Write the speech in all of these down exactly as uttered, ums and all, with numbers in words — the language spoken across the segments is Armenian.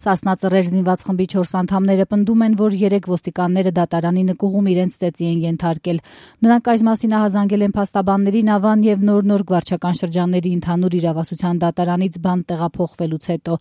Սասնա Ծռեր զինված խմբի չորս անդամները պնդում են, որ երեք ոստիկանները դատարանի նկուղում իրենց ծեծի են ենթարկել։ Նրանք այս մասին ահազանգել են փաստաբաններին Ավան եւ Նոր-Նոր վարչական շրջանների ընդհանուր իրավասության դատարանից բան տեղափոխվելուց հետո։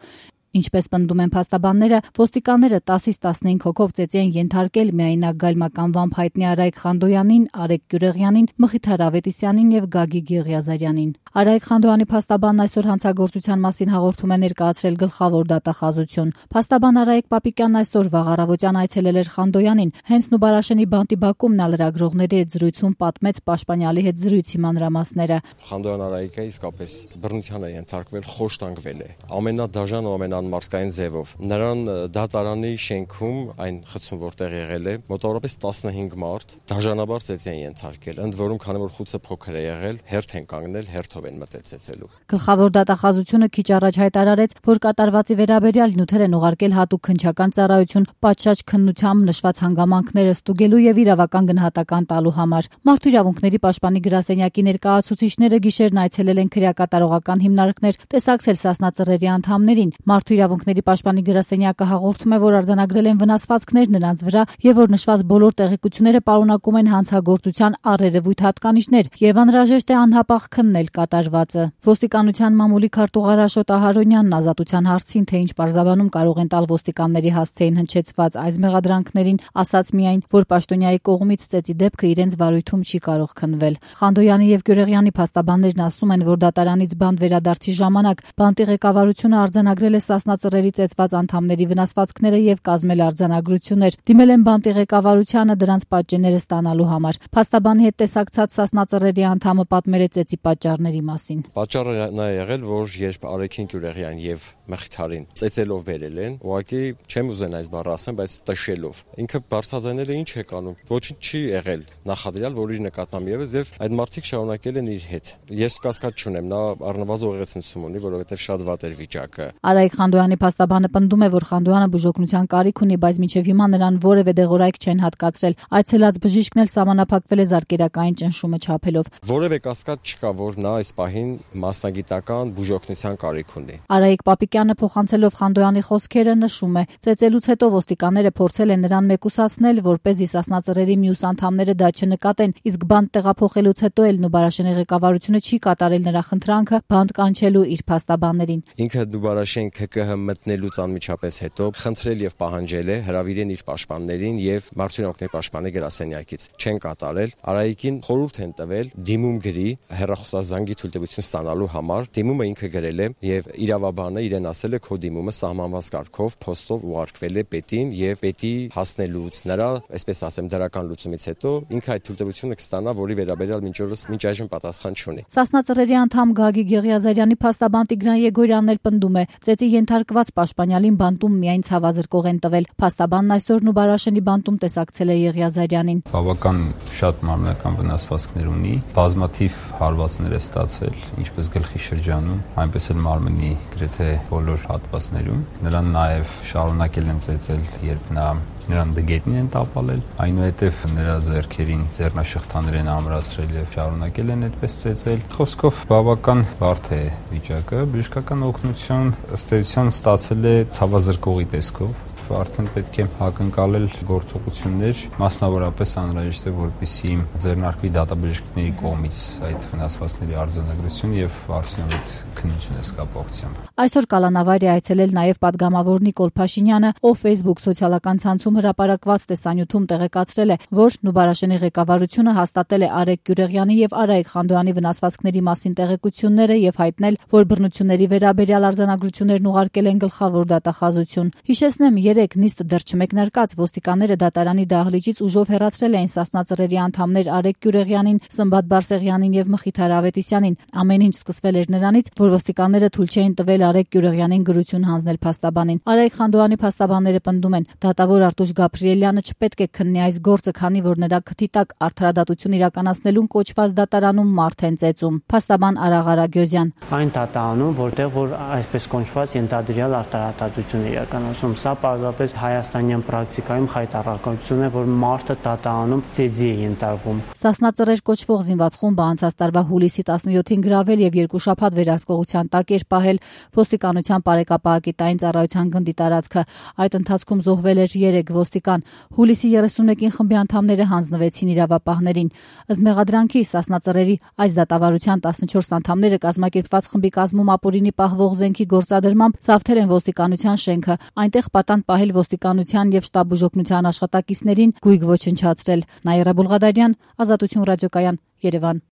Ինչպես պնդում են փաստաբանները, ոստիկանները տասից տասնհինգ հոգով ծեծի են ենթարկել միայնակ գայլմականվամբ հայտնի Արայք Խանդոյանին, Արեգ Գյուրեղյանին, Մխիթար Ավետիսյանին եւ Գագիկ Եղիազարյանին։ Արայք Խանդոյանի փաստաբանն այսօր հանցագործության մասին հաղորդում է ներկայացրել գլխավոր դատախազություն։ Փաստաբան Արայք Պապիկյանն այսօր վաղ առավոտյան այցելել էր Խանդոյանին։ Հենց Նուբարաշենի բանտի բակում նա լրագրողների հետ զրույցում պատմեց պաշտպանյալի հետ զրույցի մանրամասները։ Խանդոյան Արայիկը իսկապես բռնության է ենթարկվել, խոշտանգվել է։ Ամենադաժան ու ամենա մարսկային ձևով։ Նրան դատարանի շենքում այն խցում որտեղ եղել է, մոտավորապես տասնհինգ մարդ դաժանաբար ծեծի են ենթարկել, ընդ որում քանի որ խուցը փոքր է եղել, հերթ են կանգնել, հերթով են մտել ծեծելու։ Գլխավոր դատախազությունը քիչ առաջ հայտարարեց, որ կատարվածի վերաբերյալ նյութեր են ուղարկել հատուկ քննչական ծառայություն պատշաճ քննությամբ նշված հանգամանքները ստուգելու եւ իրավական գնահատական տալու համար։ Մարդու իրավունքների պաշտպանի գրասենյակի ներկայացուցիչները գիշերն այցելել են քրեակատարողական հիմնարկներ, տեսակցել Սասնա Ծռերի անդամներին։ Մարդու իրավունքների պաշտպանի գրասենյակը հաղորդում է, որ արձանագրել են վնասվածքներ նրանց վրա եւ որ նշված բոլոր տեղեկությունները պարունակում են հանցագործության առերևույթ հատկանիշներ եւ անհրաժեշտ է անհապաղ քննել կատարվածը։ Ոստիկանության մամուլի քարտուղար Աշոտ Ահարոնյանն ազատության հարցին, թե ինչ պարզաբանում կարող են տալ ոստիկանների հասցեին հնչեցված այս մեղադրանքներին, ասաց միայն, որ պաշտոնյայի կողմից ծեծի դեպքը իրենց վարույթում չի կարող քննվել։ Խանդոյանի եւ Գյուրեղյանի փաստաբաններն ասում են, որ դատարանից բանտ վերադարձի ժամանակ բանտի ղեկավարությունը արձանագրել է Սասնա Ծռերի ծեծված անդամների վնասվածքները եւ կազմել արձանագրություններ։ Դիմել են բանտի ղեկավարությանը դրանց պատճենները ստանալու համար։ Փաստաբանի հետ տեսակցած Սասնա Ծռերի անդամը պատմել է ծեծի պատճառների մասին։ Պատճառը նա է եղել, որ երբ Արեգին Գյուրեղյան եւ Մխիթարին ծեծելով բերել են, ուղղակի չեմ ուզեն այս բառը ասեմ, բայց տշելով։ Ինքը բարձրաձայնել է ինչ է կանում։ Ոչինչ չի եղել նախադրյալ, որ իր նկատմամբ եւս եւ այդ մարդիկ շարունակել են իր հետ։ Ես կասկած չունեմ, նա առնվազն ուղեղեցնություն ունի, որովհետեւ շատ վատ էր վիճակը։ Արայք Խանդոյանի փաստաբանը պնդում է, որ Խանդոյանը բուժօգնության կարիք ունի, բայց մինչև հիմա նրան որևէ դեղորայք չեն հատկացրել։ Այցելած բժիշկն էլ սահմանափակվել է զարկերակային ճնշումը չափելով։ Որևէ կասկած չկա, որ նա այս պահին մասնագիտական բուժօգնության կարիք ունի։ Արայիկ Պապիկյանը փոխանցելով Խանդոյանի խոսքերը նշում է. ծեծելուց հետո ոստիկանները փորձել են նրան մեկուսացնել, որպեսզի Սասնա Ծռերի մյուս անդամները դա չնկատեն, իսկ բանտ տեղափոխելուց հետո էլ Նուբարաշենի ղեկավարությունը չի կատարել նրա խնդրանքը բանտ կանչելու իր փաստաբաններին։ Ինքը Նուբարաշեն K K H մտնելուց անմիջապես հետո խնդրել եւ պահանջել է հրավիրեն իր պաշտպաններին եւ Մարդու իրավունքների պաշտպանի գրասենյակից չեն կատարել։ Արայիկին խորհուրդ են տվել դիմում գրի հեռախոսազանգի թույլտվություն ստանալու համար։ Դիմումը ինքը գրել է եւ իրավաբանը իրեն ասել է քո դիմումը սահմանված կարգով փոստով ուղարկվել է պետին եւ պետի հասնելուց նրա, այսպես ասեմ, դրական լուծումից հետո ինքը այդ թույլտվությունը կստանա, որի վերաբերյալ մինչ օրս մինչ այժմ պատասխան չունի։ Սասնա Ծռերի անդամ Գագիկ Եղիազարյանի փաստաբան Տիգրան Եգորյանն էլ պնդում է. ծեծի ենթարկված պաշտպանյալին բանտում միայն ցավազրկող են տվել։ Փաստաբանն այսօր Նուբարաշենի բանտում տեսակցել է Եղիազարյանին։ Բավական շատ մարմնական վնասվածքներ ունի, բազմաթիվ հարվածներ է ստացել, ինչպես գլխի շրջանում, այնպես էլ մարմնի գրեթե բոլոր հատվածներում։ Նրան նաև շարունակել են ծեծել, երբ նա նրան դգետնին են տապալել, այնուհետև նրա ձեռքերին ձեռնաշղթաներ են ամրացրել եւ շարունակել են այդպես ծեծել։ Խոսքով բավական բարդ է վիճակը, բժշկական օգնություն ըստ էության ստացել է ցավազրկողի տեսքով։ Արդեն պետք է ակնկալել գործողություններ, մասնավորապես անհրաժեշտ է, որպեսզի ձեռնարկվի դատաբժիշկների կողմից այդ վնասվածքների արձանագրություն եւ արդյունավետ քննություն կապակցությամբ։ Այսօր կալանավարի այցելել նաեւ падգամավոր Նիկոլ Փաշինյանը, ով Facebook սոցիալական ցանցում հրապարակված տեսանյութում տեղեկացրել է, որ Նուբարաշենի ղեկավարությունը հաստատել է Արեգ Գյուրեղյանի եւ Արայիկ Խանդոյանի վնասվածքների մասին տեղեկությունները եւ հայտնել, որ բռնությունների վերաբերյալ արձանագրություններն ուղարկել են գլխավոր դատախազություն։ Հիշեցնեմ, երեք նիստը դեռ չմեկնարկած ոստիկանները դատարանի դահլիճից ուժով հեռացրել էին Սասնա Ծռերի անդամներ Արեգ Գյուրեղյանին, Սմբատ Բարսեղյանին եւ Մխիթար Ավետիսյանին։ Ամեն ինչ սկսվել էր նրանից, որ ոստիկանները թույլ չէին տվել Արեգ Գյուրեղյանին գրություն հանձնել փաստաբանին։ Արայիկ Խանդոյանի փաստաբանները պնդում են, դատավոր Արտուշ Գաբրիելյանը չպետք է քննի այս գործը, քանի որ նրա քթի տակ արդարադատություն իրականացնելուն կոչված դատարանում մարդ են ծեծում։ Փաստաբան Արաղ Արագյոզյան. Այն դատարանում, որտեղ որ այսպես կոչված ենթադրյալ արդարադատություն իրականացում, սա պարզապես հայաստանյան պրակտիկայում խայտառակություն է, որ մարդը տատանում ծեծի է ենթարկվում։ Սասնա ծռեր կոչվող զինված խումբը անցած տարվա հուլիսի տասնյոթին գրավել եւ երկու շաբաթ վերահսկողության տակ էր պահել ոստիկանության բարեկապահակիտային ծառայության գնդի տարածքը։ Այդ ընթացքում զոհվել էր երեք ոստիկան։ Հուլիսի երեսունմեկին խմբի անդամները հանձնվեցին իրավապահներին։ Ըստ մեղադրանքի Սասնա ծռերի այս դատավարության տասնչորս անդամները կազմակերպված խմբի կազմում ապօրինի պահվող զենքի գործադրմամբ սավթել են ոստիկանության շենքը, այնտեղ պատանդ պահել ոստիկանության եւ շտաբուժօգնության աշխատակիցներին, գույք ոչնչացրել։ Նաիրա Բուլղադարյան, Ազատություն ռադիոկայան, Երևան։